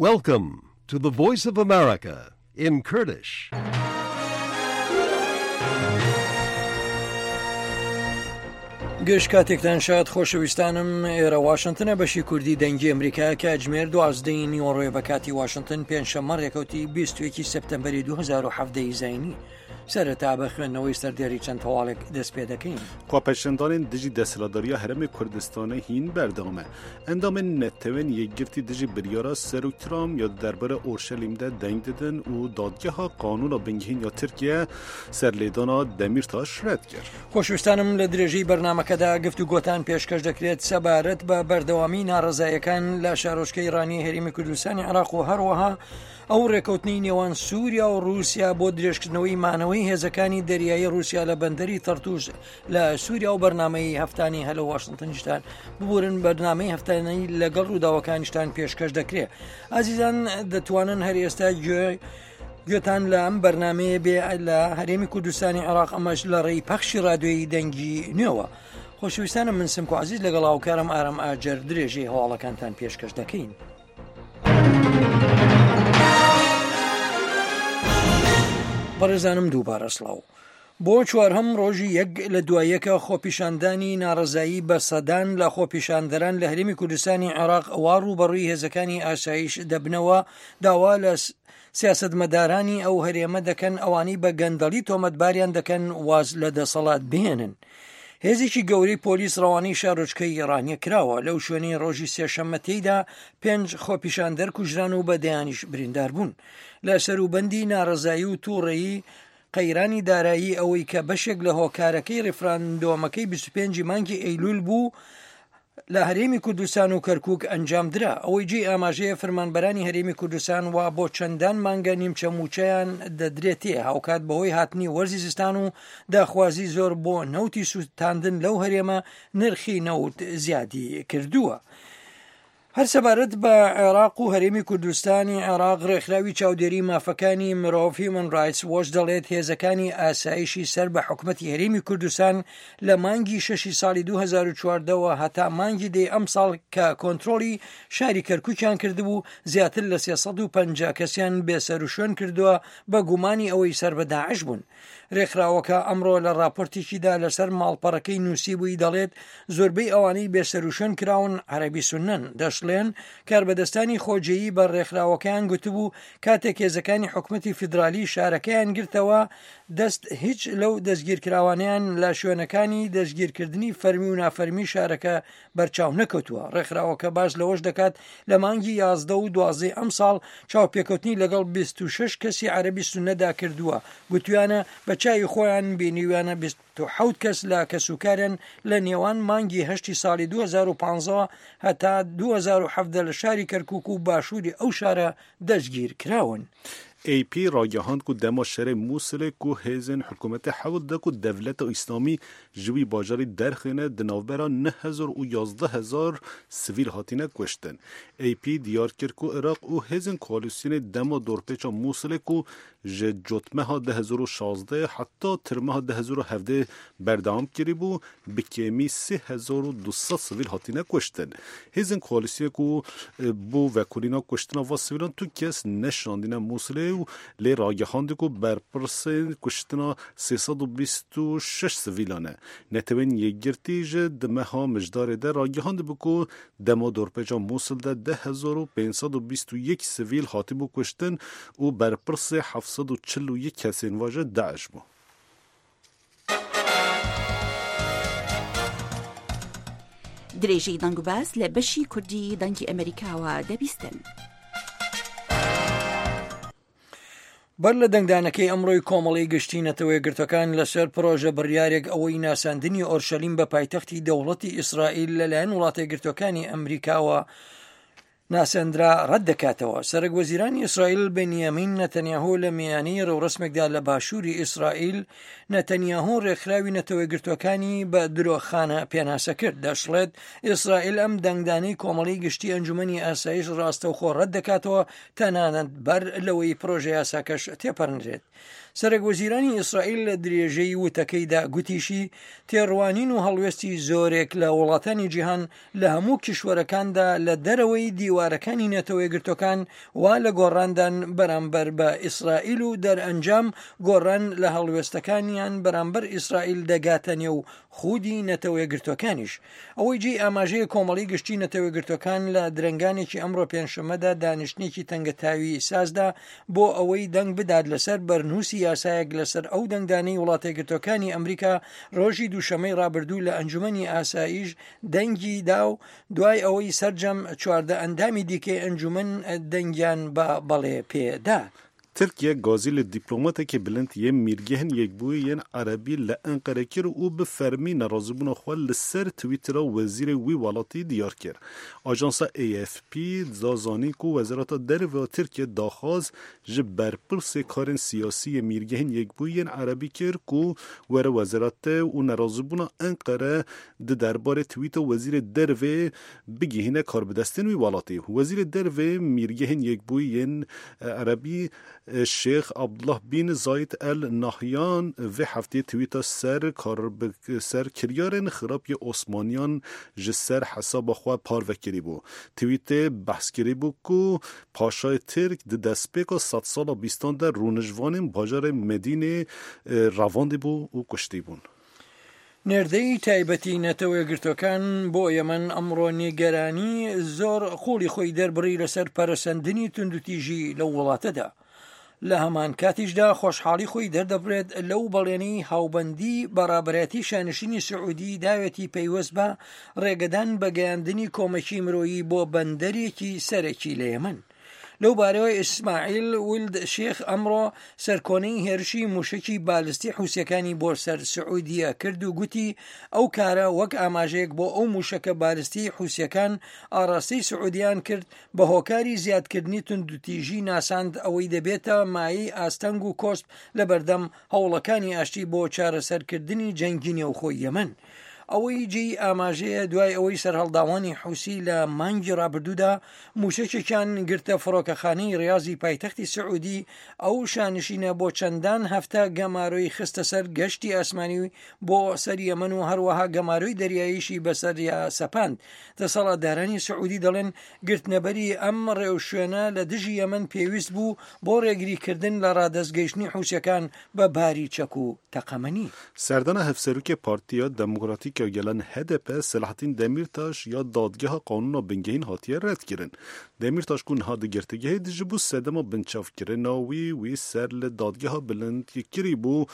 Welcome to the Voice of America in Kurdish. گشت کاتێکتان شاد خۆشەویستانم ئێرە واشنتنە بەشی کوردی دەنگی ئەمریکا کاتژمێر دوازدەی نیوەڕۆیە بە کاتی واشنتن پێنجشەممە ڕێکەوتی 21 سپتەمبەری 2017 زینی سەرەتا بە خوێندنەوەی سەردێری چەند هەواڵێک دەست پێ دەکەین. خۆپێشاندانên dijî desthilatdariya Herêmê Kurdistanê hîn berdewam e. Endamên Netewên Yekgirtî dijî biryara Serok Trump ya di derbarê Orşelîm de deng didin û Dadgeha Qanûna Bingehîn ya Tirkiye serlêdana Demîrtaş red kir. خۆشویستانم لە درێژەی بەرنامەکەدا گفتوگۆتان پێشکەش دەکرێت سەبارەت بە بەردەوامی ناڕەزایەکان لە شارۆچکەی ڕانیەی هەرێمی کوردستانی عێراق و هەروەها ئەو ڕێکەوتنەی نێوان سووریا و ڕووسیا بۆ درێژکردنەوەی مانەوەی هێزەکانی دەریایی ڕووسیا لە بەندەری تەرتوس لە سووریا و بەرنامەی هەفتانی هەلۆ واشنتنیشتان ببورن بەرنامەی هەفتانەی لەگەڵ ڕووداوەکانیشتان پێشکەش دەکرێت ئازیزان دەتوانن هەر ئێستا گوێ گوێتان لە ئەم بەرنمەیە بێ لە هەرێمی کوردستانی عێراق ئەمەش لە ڕێی پەخشی رادیۆیی دەنگی نوێوە خۆشەویستانم من سمکۆ عزیز لەگەڵ هاوکارم ئارام ئاجەر درێژەی هەواڵەکانتان پێشکەش دەکەین. بەڕێزانم دووبارە سڵاو. بۆ چوارهەم ڕۆژی یەک لە دوایەکە خۆپیشاندانی ناڕەزایی بە سەدان لە خۆپیشاندەران لە هەرێمی کوردستانی عێراق وا ڕووبەڕووی هێزەکانی ئاسایش دەبنەوە داوا لە سیاسەتمەدارانی ئەو هەرێمە دەکەن ئەوانەی بە گەندەڵی تۆمەتباریان دەکەن واز لە دەسەڵات بهێنن. هێزێکی گەورەی پۆلیس ڕەوانەی شارۆچکەی ڕانیە کراوە لەو شوێنەی ڕۆژی سێشەممە تێیدا پێنج خۆپیشاندەر کوژران و بە دەیانیش بریندار بوون. لە سەروبەندی ناڕەزایی و تووڕەیی قەیرانی دارایی ئەوەی کە بەشێک لە هۆکارەکەی ڕیفراندۆمەکەی 25 مانگی ئەیلول بوو لە هەرێمی کوردستان و کەرکوک ئەنجامدرا. ئەوەی جێی ئاماژەیە فەرمانبەرانی هەرێمی کوردستان وا بۆ چەندان مانگە نیمچە مووچەیان دەدرێتێ، هاوکات بەهۆی هاتنی وەرزی زستان و داخوازی زۆر بۆ نەوتی سووتاندن لەو هەرێمە نرخی نەوت زیادی کردووە. هەر سەبارەت بە عێراق و هەرێمی کوردستانی عێراق ڕێکخراوی چاودێری مافەکانی مرۆڤ هیومن ڕایتس وۆچ دەڵێت هێزەکانی ئاسایشی سەر بە حکومەتی هەرێمی کوردستان لە مانگی شەشی ساڵی 2014 وە هەتا مانگی دەی ئەمساڵ کە کۆنترۆڵی شاری کەرکوکیان کردبوو زیاتر لە 350 کەسیان بێسەروشوێن کردووە بە گومانی ئەوەی سەر بە داعش بوون. رێکخراوەکە ئەمڕۆ لە راپۆرتێکیدا لەسەر ماڵپەڕەکەی نووسیبووی دەڵێت زۆربەی ئەوانەی بێسەروشوێن کراون عەرەبی سوننەن، دەشڵێن کاربەدەستانی خۆجێیی بە رێکخراوەکەیان گوتبوو کاتێک هێزەکانی حکومەتی فیدرالی شارەکەیان گرتەوە دەست هیچ لەو دەستگیرکراوانەیان لە شوێنەکانی دەستگیرکردنی فەرمی و نافەرمی شارەکە بەرچاو نەکەوتووە. ڕێکخراوەکە باس لەوەش دەکات، لە مانگی 11 و دوازدەی ئەمساڵ چاوپێکەوتنی لەگەڵ 26 کەسی عەرەبی سوننەدا کردووە، گوتویانە بە چاوی خۆیان بینیویانە 27 کەس لە کەسوکاریان لە نێوان مانگی هەشتی ساڵی 2015 هەتا 2017 لە شاری کەرکوک و باشووری ئەو شارە دەستگیرکراون. AP ragihand ku dema şerê Mûsilê ku hêzên hikûmetê hewl da ku dewleta Îslamî ji wî bajarî derxîne di navbera 9000 û 11000 sivîl hatine kuştin. AP diyar kir ku Iraq û hêzên koalîsyonê dema dorpêça Mûsilê ku ji cotmeha 2016 heta tirmeha 2017 berdewam kiribû bi kêmî 3200 sivîl hatine kuştin. Hêzên koalîsyonê ku bo vekolîna kuştina va sivîlan tu kes neşandine Mûsilê û lê ragihandin ku berpirsên kuştina 326 sivîlan e. Netewên Yekgirtî ji di meha Mijdarê de ragihandibû ku dema dorpêça Mûsil de 10521 sivîl hatibû kuştin û berpirsê 741 kesên va ji DAIŞ bû. درێژەی دەنگوباس لە بەشی کوردی دەنگی ئەمەریکاوە دەبیستن. بەر لە دەنگدانەکەی ئەمڕۆی کۆمەڵەی گشتی نەتەوەیەکگرتوەکان لەسەر پرۆژە بڕیارێک ئەوەی ناساندنی ئۆرشەلیم بە پایتەختی دەوڵەتی ئیسرائیل لەلایەن وڵاتەیەکگرتوەکانی ئەمریکاوە ناسێندرا ڕەت دەکاتەوە. سەرەک وەزیرانی ئیسرائیل بنیامین نەتەنیاهۆ لە میانەی ڕێوڕەسمێکدا لە باشووری ئیسرائیل، نەتەنیاهۆ ڕێکخراوی نەتەوەیەکگرتووەکانی بە درۆخانە پێناسە کرد. دەشڵێت، ئیسرائیل ئەم دەنگدانەی کۆمەڵەی گشتی ئەنجومەنی ئاسایش ڕاستەوخۆ ڕەت دەکاتەوە، تەنانەت بەر لەوەی پرۆژەیاساکەش تێپەڕنرێت. سەرەک وەزیرانی ئیسرائیل لە درێژەی وتەکەیدا گوتیشی، تێڕوانین و هەڵوێستی زۆرێک لە وڵاتانی جیهان لە هەموو کیشوەرەکاندا لە دەرەوەی دیوار. دیوارەکانی نەتەوەیەکگرتوەکان وا لە گۆڕاندان بەرامبەر بە ئیسرائیل و دەرئەنجام گۆڕان لە هەڵوێستەکانیان بەرامبەر ئیسرائیل دەگاتە نێو خودی نەتەوەیەکگرتوەکانیش. ئەوەی جێی ئاماژەیە کۆمەڵی گشتی نەتەوەیەکگرتوەکان لە درەنگانێکی ئەمڕۆ پێنجشەممەدا دانیشتنێکی تەنگەتاوی سازدا بۆ ئەوەی دەنگ بدات لەسەر بەرنووسی یاسایەک لەسەر ئەو دەنگدانەی وڵاتەیەکگرتوەکانی ئەمریکا ڕۆژی دووشەمەی ڕابردوو لە ئەنجومەنی ئاسایش دەنگی دا و دوای ئەوەی سەرجەم 14 ئەندامی دیکەی ئەنجومەن دەنگیان بە بەڵێ پێ دا. Tirkiye gazî li dîplomatekî bilind yê Mîrgehên Yekbûyî yên Erebî li Enqerê kir û bi fermî nerazîbûna xwe li ser Twîttera wezîrê wî welatî diyar kir. Ajansa AFP da zanîn ku Wezareta Derve ya Tirkiyê daxwaz ji berpirsê karên siyasî yê Mîrgehên Yekbûyî yên Erebî kir ku were wezaretê û nerazîbûna Enqere di derbarê twîta wezîrê dervê bigihîne karbidestên wî welatî. Wezîrê dervê Mîrgehên Yekbûyî yên Erebî Şêx Abdullah Bîn Zayid El Nahyan vê hefteyê twîta ser ser kiryarên xirab yê Osmaniyan ji ser hesaba xwe parve kirîbû. Twîtê behs kirîbû ku paşayê Tirk di destpêka sedsala bîstan de rûniştvanên bajarê Medînê revandîbû û kuştîbûn. نێردەی تایبەتی نەتەوە یەکگرتووەکان بۆ یەمەن ئەمڕۆ نیگەرانی زۆر قوڵی خۆی دەربڕی لەسەر پەرەسەندنی توندوتیژی لەو وڵاتەدا. لە هەمان کاتیشدا خۆشحاڵی خۆی دەردەبرێت لەو بەڵێنەی هاوبەندی بە ڕابەرایەتی شانشینی سعودی داوێتی پەیوەست بە ڕێگەدان بە گەیاندنی کۆمەکی مرۆیی بۆ بەندەرێکی سەرەکی لە یەمەن. لەو بارەوە ئیسماعیل ولد شێخ ئەمڕۆ سەرکۆنەی هێرشی موشەکی بالستی حوسیەکانی بۆ سەر سعودیە کرد و گوتی ئەو کارە وەک ئاماژەیەک بۆ ئەو موشەکە بالستی حوسیەکان ئاڕاستەی سعودیان کرد بە هۆکاری زیادکردنی توندوتیژی ناساند ئەوەی دەبێتە مایەی ئاستەنگ و کۆسپ لەبەردەم هەوڵەکانی ئاشتی بۆ چارەسەرکردنی جەنگی نێوخۆی یەمەن. ئەوەی جێی ئاماژەیە دوای ئەوەی سەرهەڵداوانی حوسی لە مانگی ڕابردوودا موشەکێکیان گرتە فڕۆکەخانەی ڕیازی پایتەختی سعودی ئەو شانشینە بۆ چەندان هەفتە گەمارۆی خستە سەر گەشتی ئاسمانی بۆ سەر یەمەن و هەروەها گەمارۆی دەریاییشی بەسەریا سەپاند دەسەڵاتدارانی سعودی دەڵێن گرتنەبەری ئەم ڕێوشوێنە لە دژی یەمەن پێویست بوو بۆ ڕێگریکردن لە ڕادەستگەیشتنی حوسیەکان بە باری چەک و تەقەمەنی. Serdana Hevserokê Partiya Demokratîk ya Gelan, hdp, Selahattin Demîrtaş ya Dadgeha Qanûna Bingehîn hatiye redkirin. Demîrtaş ku niha di girtîgehê de ji bo sedema binçavkirina wî, wî ser li Dadgeha Bilind kirîbû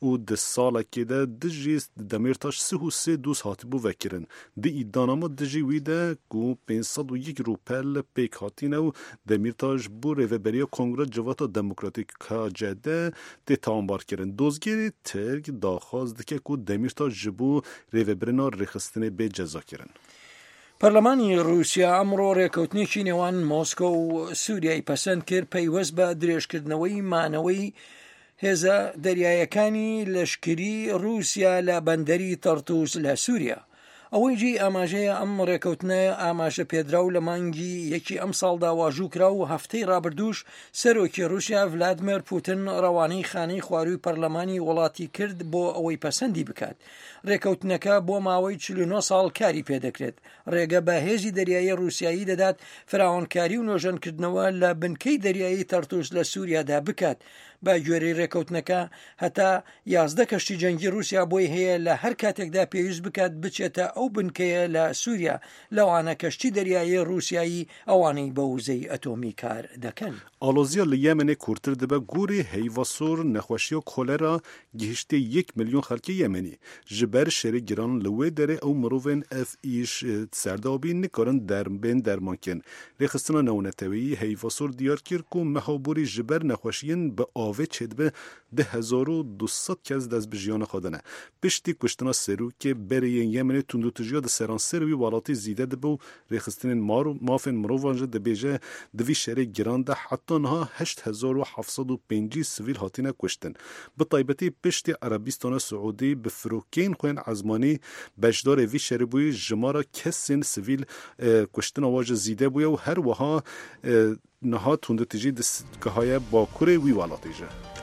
û di salekê de dijî Demîrtaş sih û sê doz hatibû vekirin. Di îdianama dijî wî de ku 501 rûpel pêk hatîne û Demîrtaş bo Rêveberiya Kongra Civata Demokratîk, KCD, tê tawanbarkirin. Dozgerê Tirk daxwaz dike ku Demîrtaş ji bo rêvebirina rêxistinê bê cezakirin. پەرلەمانی ڕووسیا ئەمڕۆ ڕێکەوتنێکی نێوان مۆسکۆ و سووریای پەسەند کرد پەیوەست بە درێژکردنەوەی مانەوەی هێزە دەریایەکانی لەشکری ڕووسیا لە بەندەری تەڕتوس لە سووریا. ئەوەی جێی ئاماژەیە ئەم ڕێکەوتنە ئاماژە پێدراو لە مانگی یەکی ئەمساڵدا واژوو کرا و هەفتەی ڕابردووش سەرۆکی ڕووسیا ڤلادمێر پوتن ڕەوانەی خانەی خوارووی پەرلەمانی وڵاتی کرد بۆ ئەوەی پەسەندی بکات. ڕێکەوتنەکە بۆ ماوەی 49 ساڵ کاری پێدەکرێت. ڕێگە بە هێزی دەریایی ڕووسیایی دەدات فراوانکاری و نۆژەنکردنەوە لە بنکەی دەریایی تەرتوس لە سووریادا بکات. بە گوێرەی ڕێکەوتنەکە هەتا 11 کەشتی جەنگی ڕووسیا بۆی هەیە لە هەر کاتێکدا پێویست بکات بچێتە ئەو بنکەیە لە سووریا، لەوانە کەشتی دەریایی ڕووسیایی ئەوانەی بە وزەی ئەتۆمی کار دەکەن. ئاڵۆزییا li Yemenê kûrtir dibe gorî heyva sor nexweşiya kolera gihiştiye yek milyon xelkê Yemenî. Ji ber şerê giran li wê derê ew mirovên ev îş serdabî nikarin bên dermankirin. Rêxistina Navneteweyî Heyva Sor diyar kir ku meha borî ji ber nexweşiyên bi avê çêdibe 2200 kes dest bi jiyana xwe dane. Piştî kuştina serokê berê yên Yemenê tundûtijiya di seranserê wî welatî zîde dibe û rêxistinên mafên mirovan jî dibêje di vî şerê giran de heta niha 8750 sivîl hatine kuştin. Bi taybetî piştî Erebîstana Siûdî bi firokeyên xwe yên ezmanî beşdarê vî şerê bûyî jimara kesên sivîl kuştina wan jî zîde bûye û her wiha niha tundûtijî digihaye bakurê wî welatî jî.